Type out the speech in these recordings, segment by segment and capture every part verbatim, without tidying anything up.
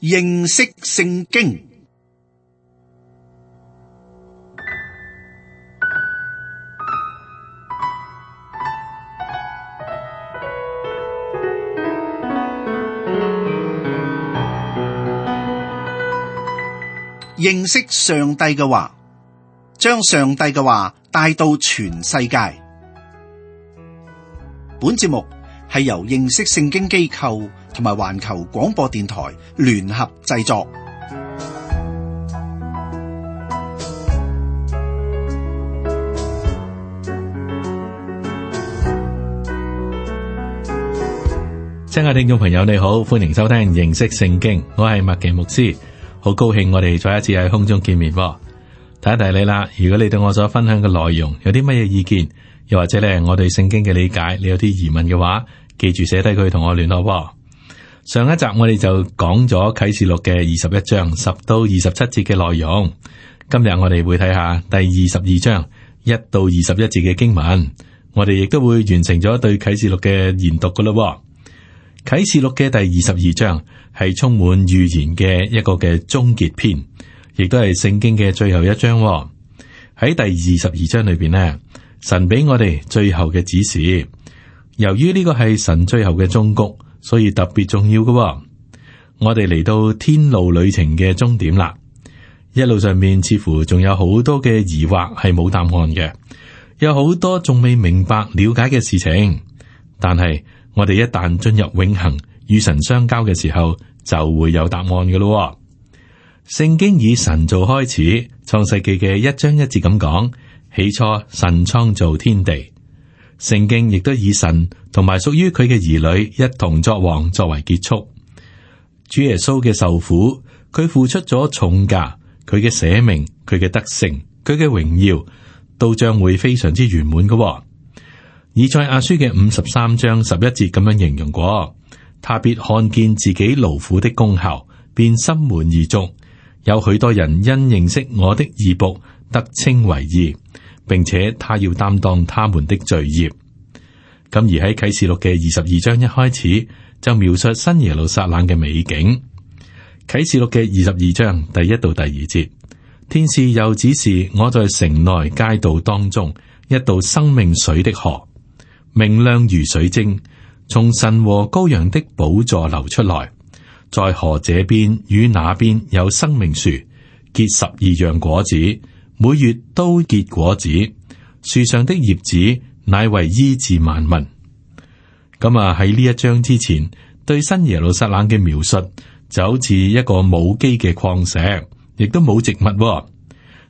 認識聖經。認識上帝嘅話，將上帝嘅話帶到全世界。本節目係由認識聖經機構同埋環球廣播電台聯合製作。親愛聽眾朋友，你好，歡迎收聽認識聖經，我係麥奇牧師。好高興我哋再一次喺空中見面。提一提你啦，如果你對我所分享嘅內容有啲乜嘢意見，又或者咧我對聖經嘅理解你有啲疑問嘅話，記住寫低佢同我聯絡。上一集我哋就講咗啟示錄嘅二十一章十到二十七節嘅內容，今日我哋會睇下第二十二章一到二十一節嘅經文，我哋亦都會完成咗對啟示錄嘅研讀噶咯。啟示錄嘅第二十二章係充滿預言嘅一個嘅終結篇，亦都係聖經嘅最後一章。喺第二十二章裏邊呢，神俾我哋最後嘅指示。由於呢個係神最後嘅終局，所以特別重要嘅。我哋嚟到天路旅程嘅終點啦，一路上面似乎仲有好多嘅疑惑係冇答案嘅，有好多仲未明白了解嘅事情，但係我哋一旦進入永恆與神相交嘅時候，就會有答案嘅咯。聖經以神造開始，創世記嘅一章一節咁講：起初神創造天地。聖經亦都以神同埋屬於佢嘅兒女一同作王作為結束。主耶穌嘅受苦，佢付出咗重價，佢嘅捨命，佢嘅得勝，佢嘅榮耀，都將會非常之圓滿嘅。以賽亞書嘅五十三章十一節咁樣形容過，他必看見自己勞苦的功效，便心滿意足。有許多人因認識我的義僕得稱為義，並且他要擔當他們的罪孽。咁而喺啟示錄嘅二十二章一開始就描述新耶路撒冷嘅美景。啟示錄嘅二十二章第一到第二節，天使又指示我在城內街道當中一道生命水的河，明亮如水晶，從神和羔羊的寶座流出來。在河這邊與那邊有生命樹，結十二樣果子，每月都結果子。樹上的葉子乃為醫治萬民。咁啊，喺呢一章之前，對新耶路撒冷嘅描述就好似一個冇基嘅礦石，亦都冇植物。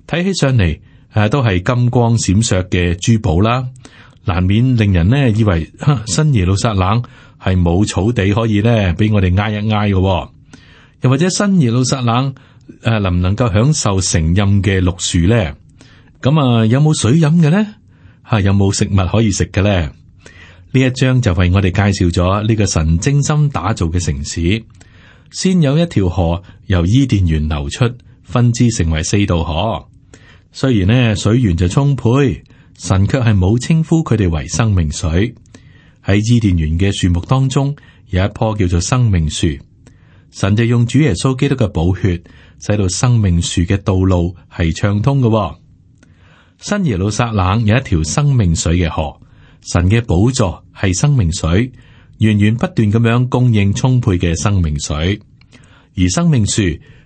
睇起上嚟誒，都係金光閃爍嘅珠寶啦。難免令人呢以為新耶路撒冷係冇草地可以呢俾我哋挨一挨嘅，又或者新耶路撒冷誒能唔能夠享受成蔭嘅綠樹咧？咁啊有冇水飲嘅咧？吓有冇食物可以食嘅咧？呢一章就為我哋介紹咗呢個神精心打造嘅城市。先有一條河由伊甸園流出，分支成為四道河。雖然呢水源就充沛，神卻係冇稱呼佢哋為生命水。喺伊甸園嘅樹木當中，有一棵叫做生命樹。神就用主耶穌基督嘅寶血，使到生命樹嘅道路係暢通嘅。新耶路撒冷有一條生命水嘅河，神嘅寶座係生命水，源源不斷咁樣供應充沛嘅生命水。而生命樹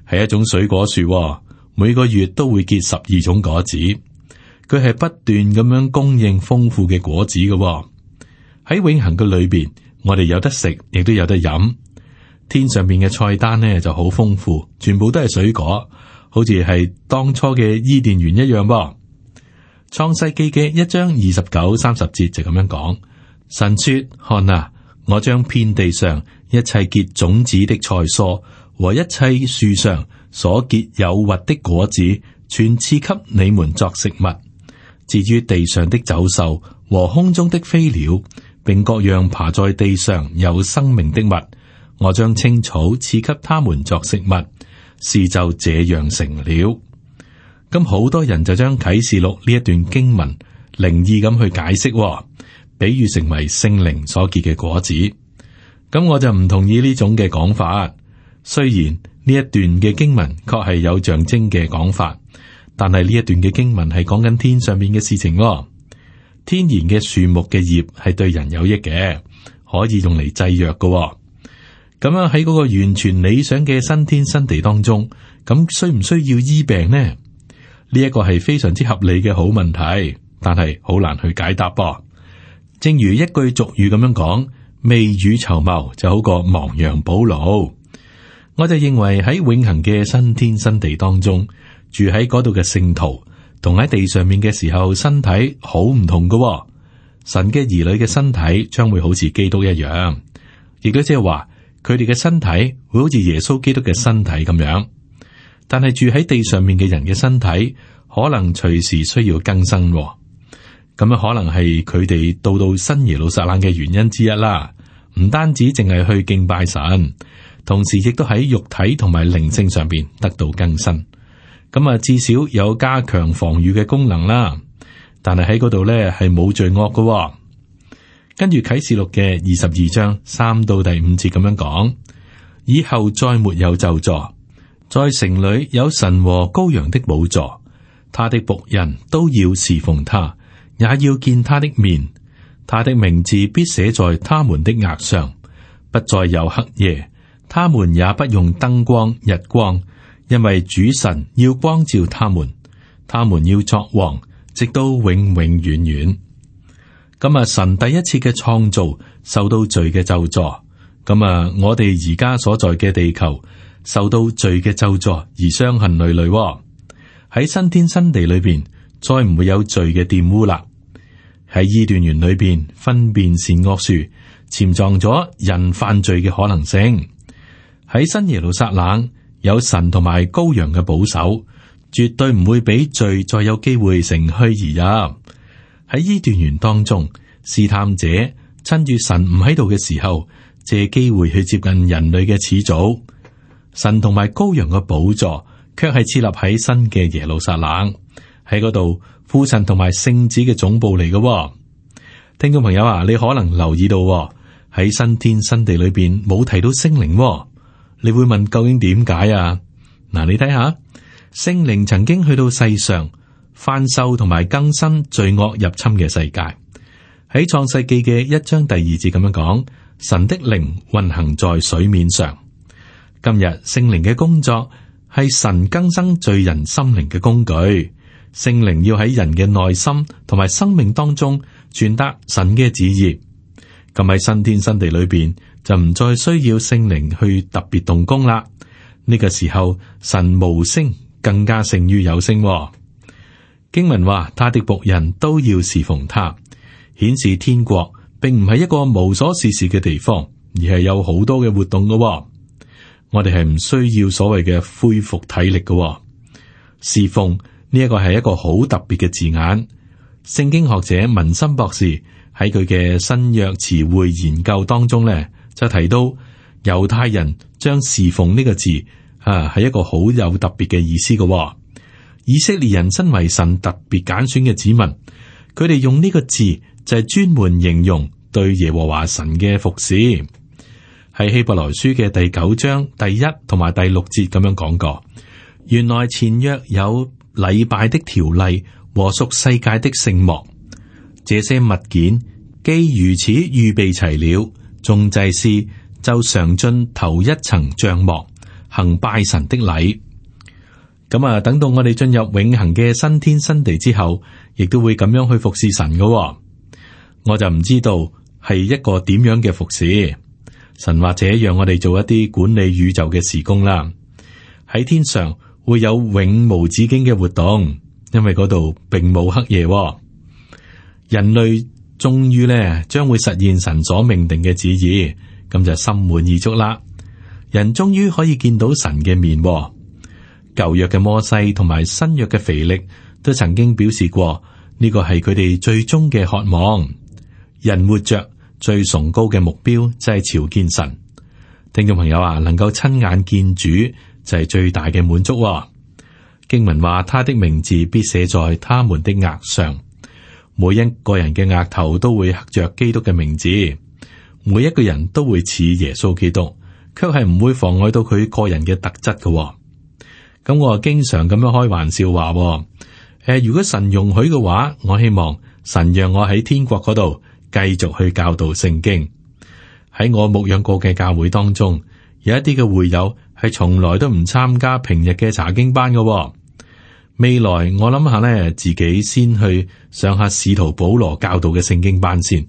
係一種水果樹，每個月都會結十二種果子。佢係不斷咁樣供應豐富嘅果子嘅。喺永恆嘅裏邊，我哋有得食，亦都有得飲。天上邊嘅菜單呢就好豐富，全部都係水果，好似係當初嘅伊甸園一樣噃。創世記嘅一章二十九、三十節就咁樣講：神說，看啊，我將遍地上一切結種子的菜蔬和一切樹上所結有核的果子，全賜給你們作食物。至於地上的走獸和空中的飛鳥，並各樣爬在地上有生命的物，我將青草賜給他們作食物。事就這樣成了。咁好多人就將啟示錄呢一段經文靈意咁去解釋，比喻成為聖靈所結嘅果子。咁我就唔同意呢種嘅講法。雖然呢一段嘅經文確係有象徵嘅講法，但係呢一段嘅經文係講緊天上面嘅事情喎。天然嘅樹木嘅葉係對人有益嘅，可以用嚟製藥嘅喎。咁樣喺嗰個完全理想嘅新天新地當中，咁需唔需要醫病呢？呢一個係非常之合理嘅好問題，但係好難去解答噃。正如一句俗語咁樣講，未雨綢繆就好過亡羊補牢。我就認為喺永恆嘅新天新地當中，住喺嗰度嘅聖徒，同喺地上面嘅時候身體好唔同㗎喎。神嘅兒女嘅身體將會好似基督一樣，亦都即係話佢哋嘅身體會好似耶穌基督嘅身體咁樣。但係住喺地上面嘅人嘅身體，可能隨時需要更新喎。咁樣可能係佢哋到到新耶路撒冷嘅原因之一啦。唔單止淨係去敬拜神，同時亦都喺肉體同埋靈性上邊得到更新。咁啊，至少有加強防禦嘅功能啦。但係喺嗰度咧係冇罪惡嘅喎。跟住啟示錄嘅二十二章三到第五節咁樣講：以後再沒有咒詛，在城裏有神和羔羊的寶座，他的僕人都要侍奉他，也要見他的面。他的名字必寫在他們的額上，不再有黑夜，他們也不用燈光、日光，因為主神要光照他們，他們要作王，直到永永遠遠。咁啊，神第一次嘅創造受到罪嘅咒詛，咁啊，我哋而家所在嘅地球受到罪嘅咒詛而傷痕累累。喺新天新地裏邊，再唔會有罪嘅玷污啦。喺伊甸園裏邊，分辨善惡樹潛藏咗人犯罪嘅可能性。喺新耶路撒冷，有神同埋羔羊嘅保守，絕對唔會俾罪再有機會乘虛而入。喺伊甸園當中，試探者趁住神唔喺度嘅時候，借機會去接近人類嘅始祖。神同埋羔羊嘅寶座，卻係設立喺新嘅耶路撒冷，喺嗰度。父神同埋聖子嘅總部嚟嘅。哦，聽眾朋友啊，你可能留意到喺，哦、新天新地裏邊冇提到聖靈。哦，你會問究竟點解啊？嗱，你睇下聖靈曾經去到世上翻修同埋更新罪惡入侵嘅世界。喺創世記嘅一章第二節咁樣講，神的靈運行在水面上。今日聖靈嘅工作係神更新罪人心靈嘅工具。聖靈要喺人嘅內心同埋生命當中傳達神嘅旨意，咁喺新天新地裏邊就唔再需要聖靈去特別動工啦。呢個時候神無聲更加勝於有聲。經文話他的僕人都要侍奉他，顯示天國並唔係一個無所事事嘅地方，而係有好多嘅活動嘅。我哋係唔需要所謂嘅恢復體力嘅侍奉。呢一個係一個好特別嘅字眼。聖經學者文森博士喺佢嘅新約詞彙研究當中咧，就提到猶太人將侍奉呢個字啊係一個好有特別嘅意思嘅。哦。以色列人身為神特別揀選嘅子民，佢哋用呢個字就係專門形容對耶和華神嘅服侍。喺希伯來書嘅第九章第一同埋第六節咁樣講過，原來前約有禮拜的條例和屬世界的聖幕，這些物件既如此預備齊了，眾祭司就常進頭一層帳幕，行拜神的禮。咁啊，等到我哋進入永恆嘅新天新地之後，亦都會咁樣去服侍神嘅。哦。我就唔知道係一個點樣嘅服侍。神或者讓我哋做一啲管理宇宙嘅事工啦。喺天上會有永無止境嘅活動，因為嗰度並冇黑夜。哦。人類終於咧將會實現神所命定嘅旨意，咁就心滿意足啦。人終於可以見到神嘅面。哦。舊約嘅摩西同埋新約嘅腓力都曾經表示過，呢個係佢哋最終嘅渴望。人活着最崇高嘅目標就係朝見神。聽眾朋友啊，能夠親眼見主就係最大嘅滿足。經文話，他的名字必寫在他們的額上。每一個人嘅額頭都會刻着基督嘅名字，每一個人都會似耶穌基督，卻係唔會妨礙到佢個人嘅特質嘅。咁我啊經常咁樣開玩笑話，誒、呃，如果神容許嘅話，我希望神讓我喺天國嗰度繼續去教導聖經。喺我牧養過嘅教會當中，有一啲嘅會友係從來都唔參加平日嘅查經班嘅。未來我諗下咧，自己先去上下使徒保羅教導嘅聖經班先，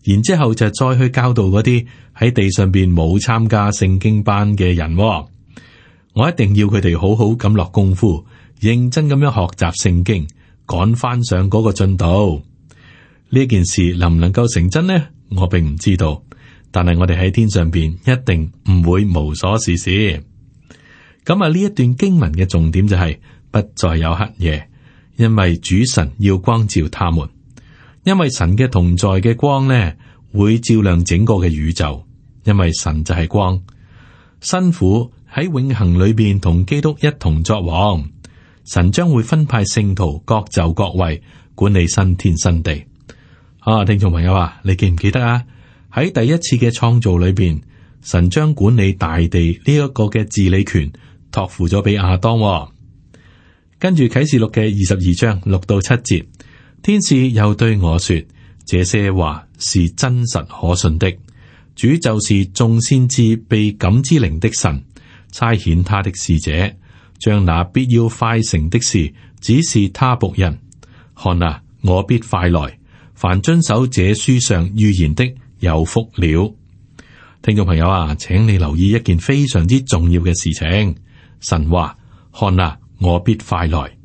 然之後就再去教導嗰啲喺地上邊冇參加聖經班嘅人。我一定要佢哋好好咁落功夫，認真咁樣學習聖經，趕翻上嗰個進度。呢件事能唔能夠成真呢？我並唔知道，但係我哋喺天上邊一定唔會無所事事。咁啊，呢一段經文嘅重點就係、是、不再有黑夜，因為主神要光照他們，因為神嘅同在嘅光呢，會照亮整個嘅宇宙，因為神就係光。辛苦喺永恆裏邊同基督一同作王，神將會分派聖徒各就各位，管理新天新地。啊，聽眾朋友啊，你記唔記得啊？喺第一次嘅創造裏邊，神將管理大地呢一個嘅治理權託付咗俾亞當、哦。跟住啟示錄嘅二十二章六到七節，天使又對我說：這些話是真實可信的。主就是眾先知被感之靈的神，差遣他的使者，將那必要快成的事指示他僕人。看啊，我必快來，凡遵守這書上預言的有福了。聽眾朋友啊，請你留意一件非常之重要嘅事情。神話：看啊，我必快來。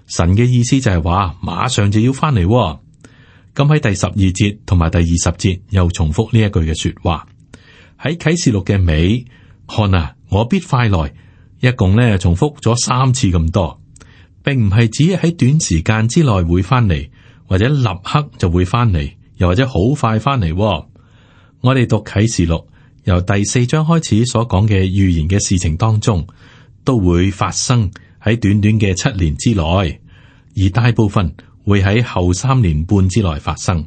神嘅意思就係話馬上就要翻嚟、哦。咁喺第十二節同埋第二十節又重複呢一句嘅說話。喺啟示錄嘅尾，看啊，我必快來，一共咧重複咗三次咁多，並唔係指喺短時間之內會翻嚟，或者立刻就會翻嚟，又或者好快翻嚟、哦。我哋讀啟示錄由第四章開始所講嘅預言嘅事情當中，都會發生喺短短嘅七年之內，而大部分會喺後三年半之內發生。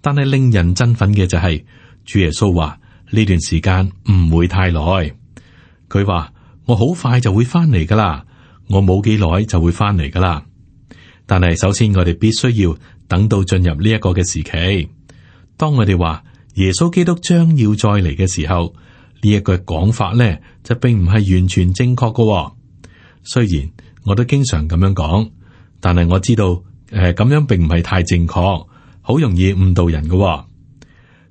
但係令人振奮嘅就係、是、主耶穌話呢段時間唔會太耐。佢話我好快就會翻嚟噶啦，我冇幾耐就會翻嚟噶啦。但係首先我哋必須要等到進入呢一個嘅時期。當我哋話耶穌基督將要再嚟嘅時候，呢一句講法咧就並唔係完全正確噶、哦。雖然我都經常咁樣講，但係我知道誒咁、呃、樣並唔係太正確，好容易誤導人噶、哦。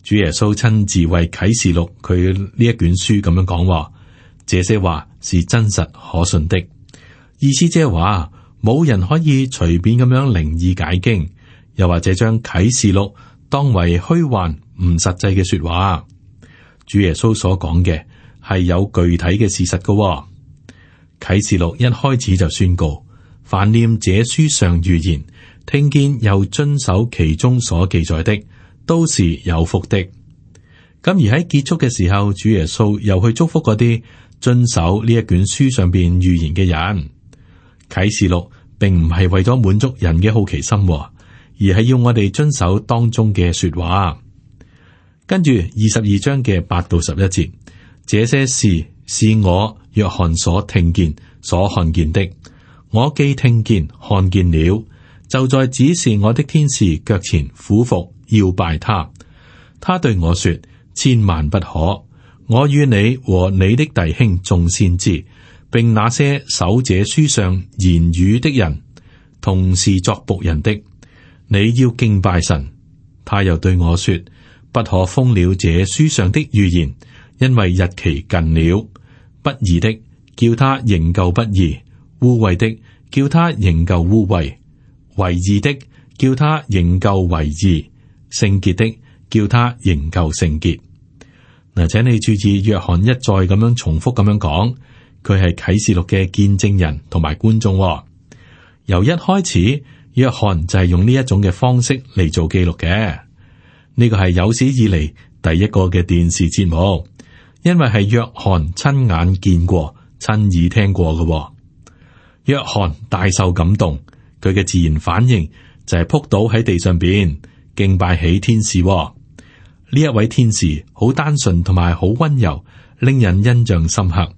主耶穌親自為啟示錄佢呢一卷書咁樣講、哦，這些話是真實可信的。意思即係話冇人可以隨便咁樣靈意解經，又或者將啟示錄當為虛幻唔實際嘅說話。主耶穌所講嘅係有具體嘅事實噶、哦。啟示錄一開始就宣告，凡念這書上預言，聽見又遵守其中所記載的，都是有福的。咁而喺結束嘅時候，主耶穌又去祝福嗰啲遵守呢一卷書上邊預言嘅人。啟示錄並唔係為咗滿足人嘅好奇心，而係要我哋遵守當中嘅說話。跟住二十二章嘅八到十一節，這些事是我約翰所聽見、所看見的。我既聽見、看見了，就在指示我的天使腳前俯伏要拜他。他對我說：千萬不可！我與你和你的弟兄眾先知，並那些守這書上言語的人，同是作僕人的，你要敬拜神。他又對我說：不可封了這書上的預言，因為日期近了。不義的叫他仍舊不義，污穢的叫他仍舊污穢，為義的叫他仍舊為義，聖潔的叫他仍舊聖潔。嗱，請你注意，約翰一再咁樣重複咁樣講，佢係啟示錄嘅見證人同埋觀眾。由一開始，約翰就係用呢一種嘅方式嚟做記錄嘅。呢個係有史以嚟第一個嘅電視節目，因為係約翰親眼見過、親耳聽過嘅。約翰大受感動，佢嘅自然反應就係撲倒喺地上邊敬拜起天使。呢一位天使好單純同埋好溫柔，令人印象深刻。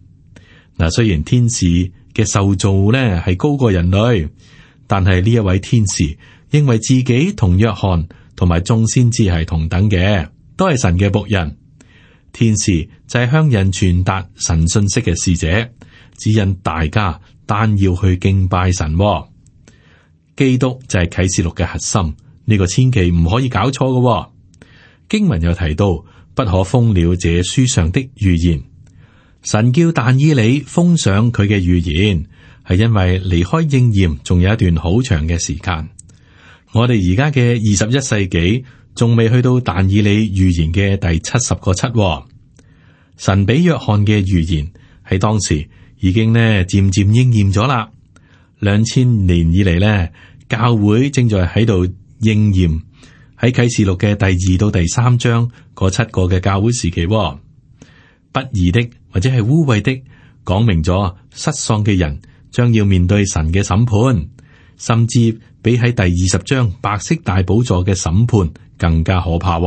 嗱，雖然天使嘅受造呢係高過人類，但係呢一位天使認為自己同約翰同埋眾先知係同等嘅，都係神嘅僕人。天使就係向人傳達神信息嘅使者，指引大家單要去敬拜神。基督就係啟示錄嘅核心，呢個千祈唔可以搞錯嘅。經文又提到，不可封了這書上的預言。神叫但以理封上佢嘅預言，係因為離開應驗仲有一段好長嘅時間。我哋而家嘅二十一世紀仲未去到但以理預言嘅第七十個七。神俾約翰嘅預言喺當時已經呢漸漸應驗咗啦。兩千年以嚟呢，教會正在喺度應驗喺啟示錄嘅第二到第三章嗰七個嘅教會時期。不義的或者係污穢的，講明咗失喪嘅人將要面對神嘅審判，甚至比喺第二十章白色大寶座嘅審判更加可怕。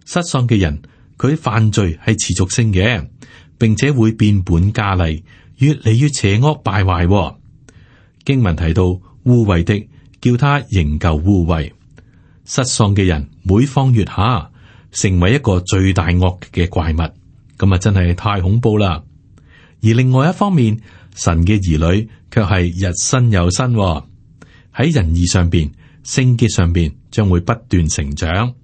失喪嘅人佢犯罪係持續性嘅，並且會變本加厲，越嚟越邪惡敗壞。經文提到污穢的，叫他仍舊污穢。失喪嘅人每況愈下，成為一個最大惡嘅怪物。咁啊，真係太恐怖啦！而另外一方面，神嘅兒女卻係日新又新，喺仁義上邊、聖潔上邊，將會不斷成長。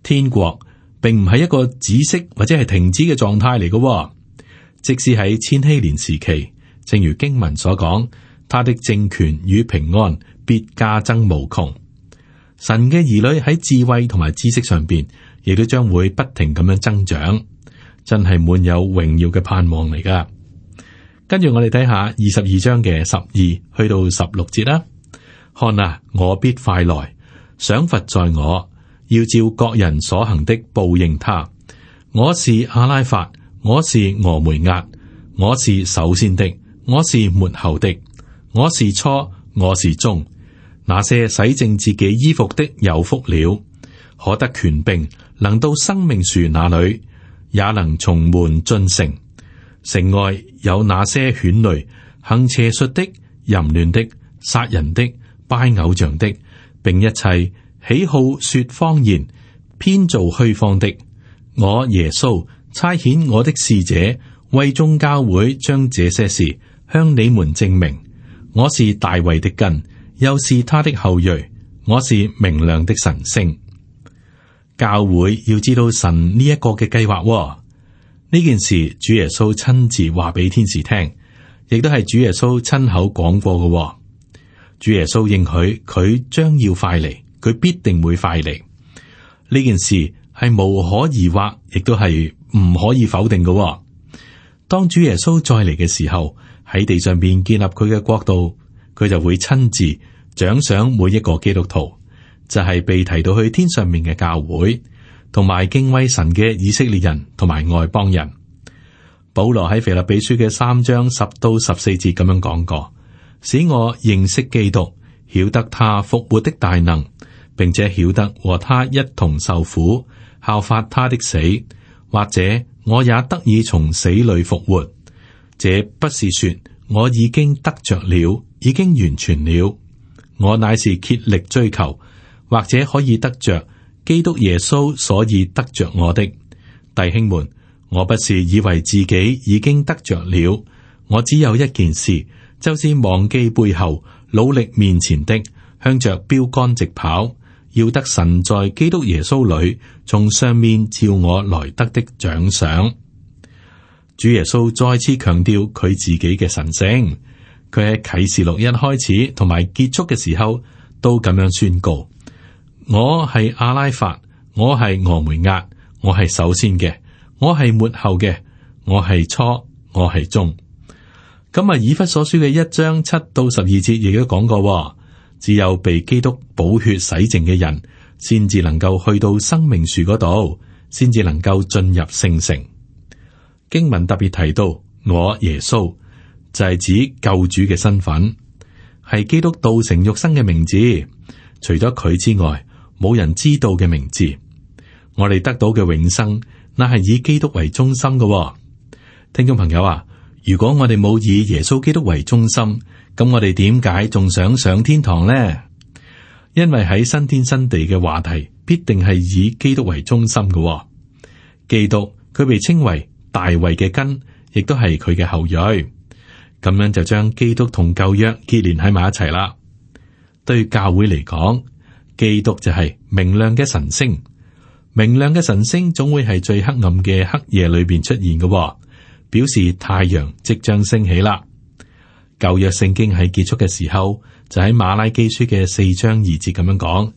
天國並唔係一個止息或者係停止嘅狀態嚟嘅，即使喺千禧年時期，正如經文所講，他的政權與平安必加增無窮。神嘅兒女喺智慧同埋知識上邊，亦都將會不停咁樣增長。真係滿有榮耀嘅盼望嚟噶。跟住我哋睇下二十二章嘅十二去到十六節啦。看啊，我必快來，賞罰在我，要照各人所行的報應他。我是阿拉法，我是俄梅押，我是首先的，我是末後的，我是初，我是終。那些洗淨自己衣服的有福了，可得權柄，能到生命樹那裏，也能從門進城。城外有那些犬類、行邪術的、淫亂的、殺人的、拜偶像的，並一切喜好說謊言、編造虛謊的。我耶穌差遣我的使者，為眾教會將這些事向你們證明。我是大衛的根，又是他的後裔。我是明亮的晨星。教會要知道神呢一個嘅計劃，呢件事主耶穌親自話俾天使聽，亦都係主耶穌親口講過嘅。主耶穌應許佢將要快嚟，佢必定會快嚟。呢件事係無可疑惑，亦都係唔可以否定嘅。當主耶穌再嚟嘅時候，喺地上邊建立佢嘅國度，佢就會親自獎賞每一個基督徒。就係被提到去天上面嘅教會，同埋敬畏神嘅以色列人同埋外邦人。保羅喺腓立比書嘅三章十到十四節咁樣講過，使我認識基督，曉得他復活的大能，並且曉得和他一同受苦，效法他的死，或者我也得以從死裏復活。這不是說我已經得着了，已經完全了，我乃是竭力追求，或者可以得着基督耶穌，所以得着我的。弟兄們，我不是以為自己已經得着了，我只有一件事，就是忘記背後，努力面前的，向着標杆直跑，要得神在基督耶穌裏從上面召我來得的獎賞。主耶穌再次強調佢自己嘅神聖，佢喺啟示錄一開始同埋結束嘅時候都咁樣宣告。我係阿拉法，我係俄梅押，我係首先嘅，我係末後嘅，我係初，我係終。咁啊，以弗所書嘅一章七到十二節亦都講過，只有被基督寶血洗淨嘅人，先至能夠去到生命樹嗰度，先至能夠進入聖城。經文特別提到我耶穌，就係指救主嘅身份，係基督道成肉身嘅名字，除咗佢之外，冇人知道嘅名字。我哋得到嘅永生，那係以基督為中心嘅。聽眾朋友啊，如果我哋冇以耶穌基督為中心，咁我哋點解仲想上天堂呢？因為喺新天新地嘅話題，必定係以基督為中心嘅、哦。基督佢被稱為大衛嘅根，亦都係佢嘅後裔。咁樣就將基督同舊約結連喺埋一齊啦。對教會嚟講，基督就係明亮嘅晨星。明亮嘅晨星總會係最黑暗嘅黑夜裏邊出現嘅、哦，表示太陽即將升起啦。舊約聖經喺結束嘅時候，就喺馬拉基書嘅四章二節咁樣講，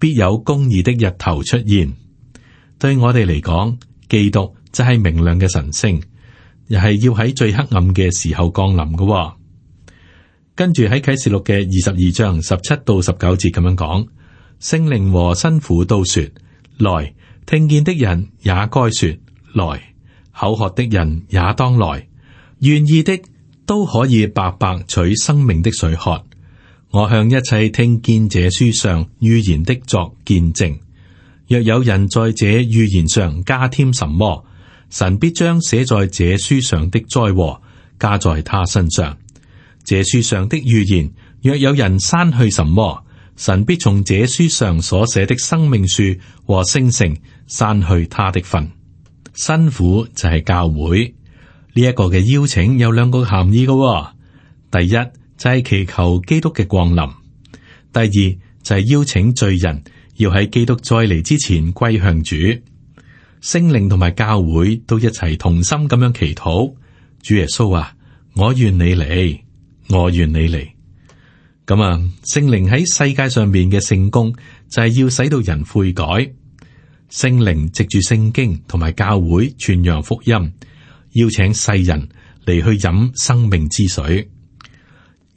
必有公義的日頭出現。對我哋嚟講，基督就係明亮嘅晨星，又係要喺最黑暗嘅時候降臨嘅、哦。跟住喺啟示錄嘅二十二章十七到十九節咁樣講，聖靈和新婦都說。來，聽見的人也該說來，口渴的人也當來，願意的都可以白白取生命的水喝。我向一切聽見這書上預言的作見證，若有人在這預言上加添什麼，神必將寫在這書上的災禍加在他身上。這書上的預言，若有人刪去什麼，神必從這書上所寫的生命樹和聖城刪去他的份。新婦就係教會，呢、這、一個嘅邀請有兩個含義嘅、哦。第一就係祈求基督嘅降臨，第二就係邀請罪人要喺基督再嚟之前歸向主。聖靈同埋教會都一齊同心咁樣祈禱。主耶穌啊，我願你嚟，我願你嚟。咁啊，聖靈喺世界上面嘅聖工就係要使到人悔改。聖靈藉住聖經同埋教會傳揚福音，邀請世人嚟去飲生命之水。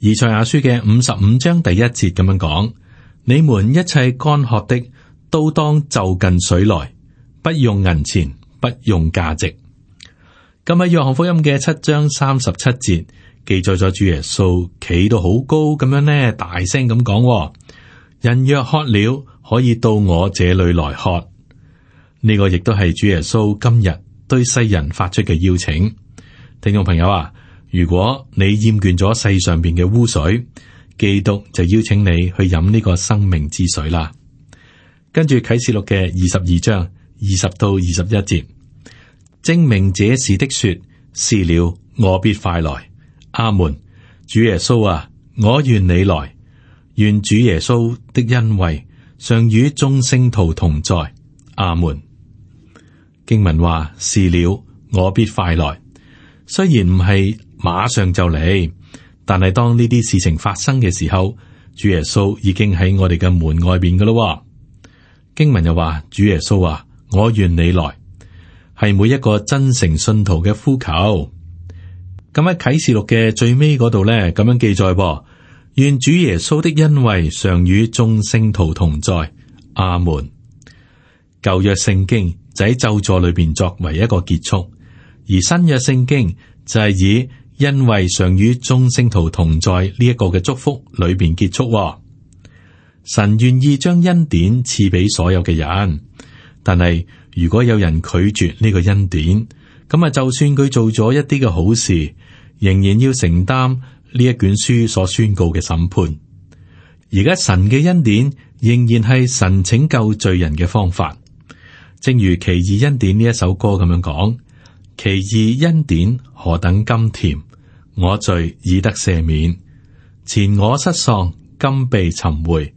以賽亞書嘅五十五章第一節咁樣講：你們一切乾渴的，都當就近水來，不用銀錢，不用價值。今日約翰福音嘅七章三十七節。記載咗主耶穌企到好高咁樣呢，大聲咁講：人若渴了，可以到我這裏來喝。呢個亦都係主耶穌今日對世人發出嘅邀請。聽眾朋友啊，如果你厭倦咗世上邊嘅污水，基督就邀請你去飲呢個生命之水啦。跟住啟示錄嘅二十二章二十到二十一節，證明這事的說：是了，我必快來。阿門。主耶穌啊，我願你來，願主耶穌的恩惠常與眾聖徒同在。阿門。經文話：是了，我必快來。雖然唔係馬上就嚟，但係當呢啲事情發生嘅時候，主耶穌已經喺我哋嘅門外邊噶咯。經文又話：主耶穌啊，我願你來，係每一個真誠信徒嘅呼求。咁喺啟示錄嘅最尾嗰度咧，咁樣記載：願主耶穌的恩惠常與眾聖徒同在。阿門。舊約聖經就喺咒詛裏邊作為一個結束，而新約聖經就係以恩惠常與眾聖徒同在呢一個嘅祝福裏邊結束。神願意將恩典賜俾所有嘅人，但係如果有人拒絕呢個恩典，咁啊，就算佢做咗一啲嘅好事，仍然要承擔呢一卷書所宣告嘅審判。而家神嘅恩典仍然係神拯救罪人嘅方法，正如奇異恩典呢一首歌咁樣講：奇異恩典何等甘甜，我罪已得赦免，前我失喪，今被尋回，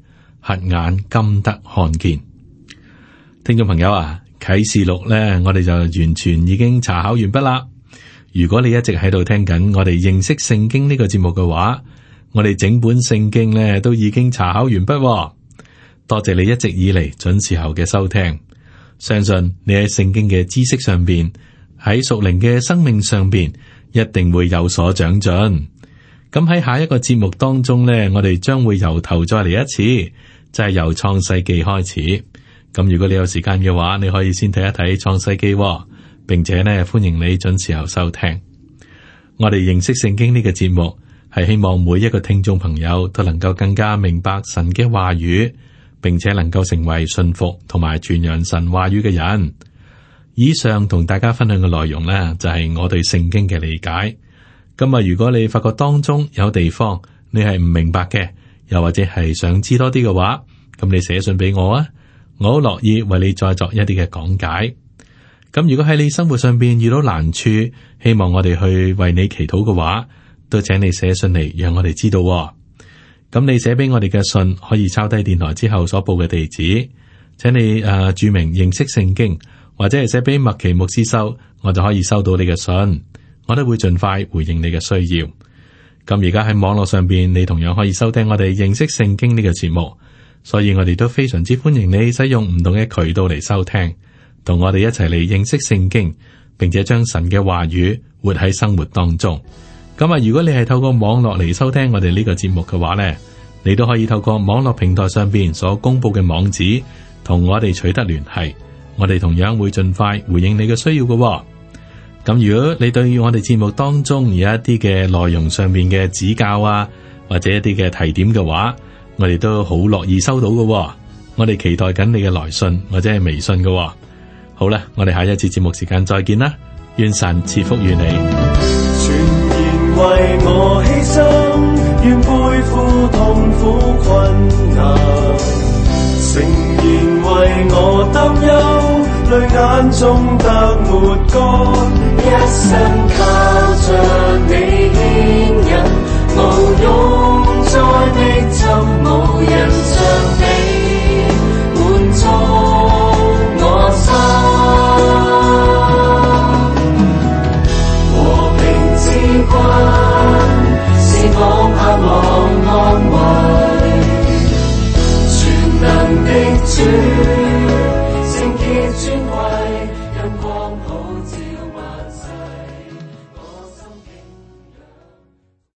瞎眼今得看見。聽眾朋友啊，啟示錄咧，我哋就完全已經查考完畢啦。如果你一直喺度聽緊我哋認識聖經呢個節目嘅話，我哋整本聖經咧都已經查考完畢。多謝你一直以嚟準時候嘅收聽，相信你喺聖經嘅知識上邊，喺屬靈嘅生命上邊，一定會有所長進。咁喺下一個節目當中咧，我哋將會由頭再嚟一次，就係由創世記開始。咁如果你有時間嘅話，你可以先睇一睇創世記，並且呢，歡迎你準時候收聽。我哋認識聖經呢個節目，係希望每一個聽眾朋友都能夠更加明白神嘅話語，並且能夠成為信服同埋傳揚神話語嘅人。以上同大家分享嘅內容呢，就係我對聖經嘅理解。今日如果你發覺當中有地方你係唔明白嘅，又或者係想知多啲嘅話，咁你寫信俾我啊，我好樂意為你再作一啲嘅講解。咁如果喺你生活上邊遇到難處，希望我哋去為你祈禱嘅話，都請你寫信嚟，讓我哋知道。咁你寫俾我哋嘅信可以抄低電台之後所報嘅地址，請你誒注明認識聖經，或者係寫俾麥奇牧師收，我就可以收到你嘅信，我都會盡快回應你嘅需要。咁而家喺網絡上邊，你同樣可以收聽我哋認識聖經呢個節目，所以我哋都非常之歡迎你使用唔同嘅渠道嚟收聽，同我哋一齊嚟認識聖經，並且將神嘅話語活喺生活當中。咁啊，如果你係透過網絡嚟收聽我哋呢個節目嘅話呢，你都可以透過網絡平台上邊所公布嘅網址同我哋取得聯繫，我哋同樣會盡快回應你嘅需要嘅。咁如果你對於我哋節目當中有一啲嘅內容上面嘅指教啊，或者一啲嘅提點嘅話，我哋都好樂意收到嘅。我哋期待緊你嘅來信或者係微信嘅。好啦，我哋下一次節目時間再見啦，願神賜福於你。全然為我犧牲，願背負痛苦困難，誠然為我擔憂，淚眼中得抹乾，一生靠着你。